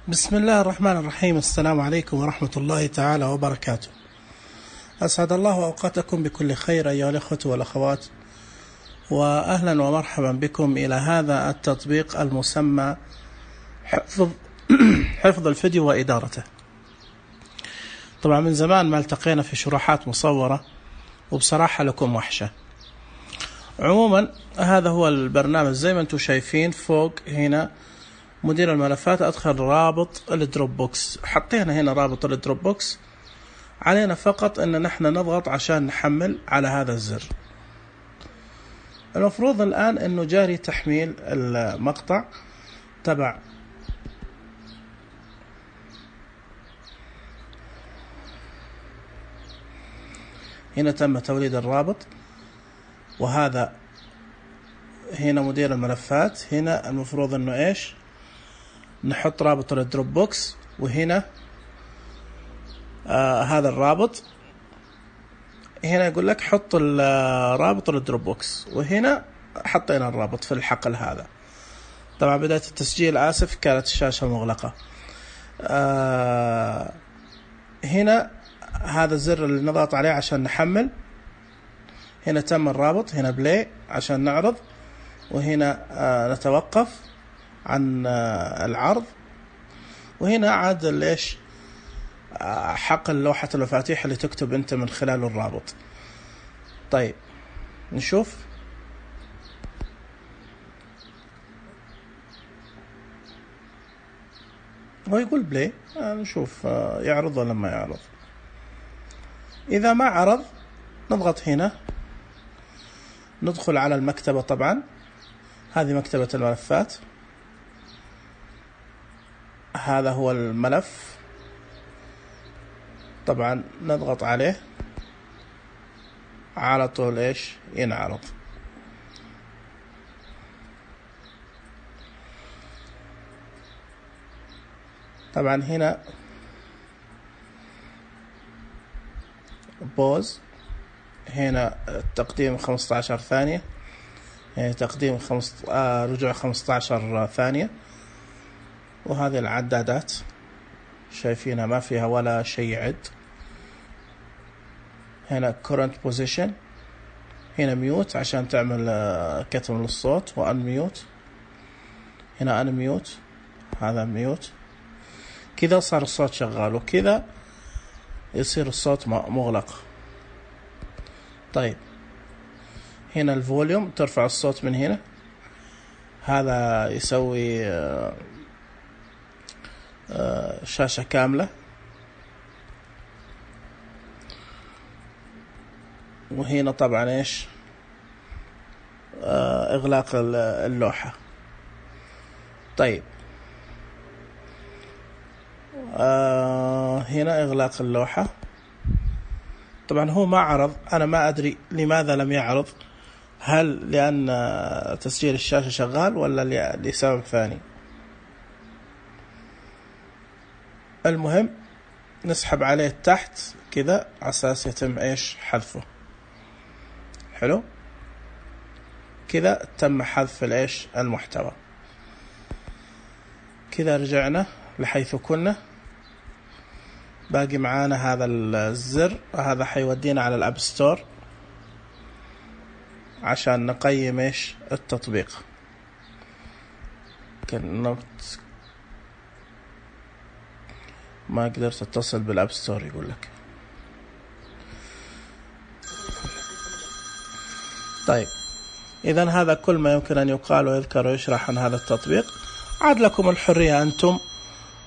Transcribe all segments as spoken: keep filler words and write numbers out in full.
بسم الله الرحمن الرحيم. السلام عليكم ورحمة الله تعالى وبركاته. أسعد الله أوقاتكم بكل خير أيها الأخوة والأخوات، وأهلا ومرحبا بكم إلى هذا التطبيق المسمى حفظ حفظ الفيديو وإدارته. طبعا من زمان ما التقينا في شروحات مصورة، وبصراحة لكم وحشة. عموما هذا هو البرنامج زي ما انتم شايفين فوق هنا مدير الملفات. أدخل رابط الدروب بوكس، حطينا هنا رابط الدروب بوكس. علينا فقط أن نحن نضغط عشان نحمل على هذا الزر. المفروض الآن أنه جاري تحميل المقطع تبع هنا تم توليد الرابط، وهذا هنا مدير الملفات. هنا المفروض أنه إيش نحط رابط الدروب بوكس، وهنا آه هذا الرابط. هنا يقول لك حط رابط الدروب بوكس، وهنا حطينا الرابط في الحقل هذا. طبعا بداية التسجيل آسف كانت الشاشة مغلقة. آه هنا هذا الزر اللي نضغط عليه عشان نحمل. هنا تم الرابط، هنا بلاي عشان نعرض، وهنا آه نتوقف عن آه العرض، وهنا عاد ليش آه حقل لوحة المفاتيح اللي تكتب انت من خلال الرابط. طيب نشوف. هو يقول بلاي، آه نشوف آه يعرض ولا ما يعرض. إذا ما عرض نضغط هنا، ندخل على المكتبة. طبعا هذه مكتبة الملفات، هذا هو الملف. طبعا نضغط عليه على طول ايش ينعرض. طبعا هنا بوز، هنا تقديم خمسة عشر ثانية، يعني تقديم خمسة آه رجوع خمسة عشر ثانية. وهذه العدادات شايفينها ما فيها ولا شيء يعد. هنا current position، هنا ميوت عشان تعمل آه كتم للصوت، وان ميوت. هنا ان ميوت، هذا ميوت. كذا صار الصوت شغال، وكذا يصير الصوت مغلق. طيب هنا الفوليوم، ترفع الصوت من هنا. هذا يسوي آه آه شاشة كاملة. وهنا طبعا ايش آه اغلاق اللوحة. طيب آه هنا اغلاق اللوحة. طبعا هو ما عرض، انا ما ادري لماذا لم يعرض، هل لان تسجيل الشاشة شغال ولا لسبب ثاني. المهم نسحب عليه تحت كذا على اساس يتم ايش حذفه. حلو كذا تم حذف الايش المحتوى. كذا رجعنا لحيث كنا. باقي معانا هذا الزر، هذا حيودينا على الاب ستور عشان نقيم ايش التطبيق. كنت ما قدرت اتصل بالاب ستور يقول لك. طيب اذا هذا كل ما يمكن ان يقال ويذكر ويشرح عن هذا التطبيق. عاد لكم الحرية انتم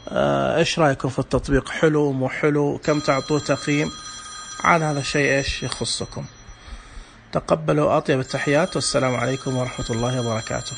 آه ايش رايكم في التطبيق، حلو مو حلو، كم تعطوه تقييم، عن هذا الشيء ايش يخصكم. تقبلوا اطيب التحيات، والسلام عليكم ورحمة الله وبركاته.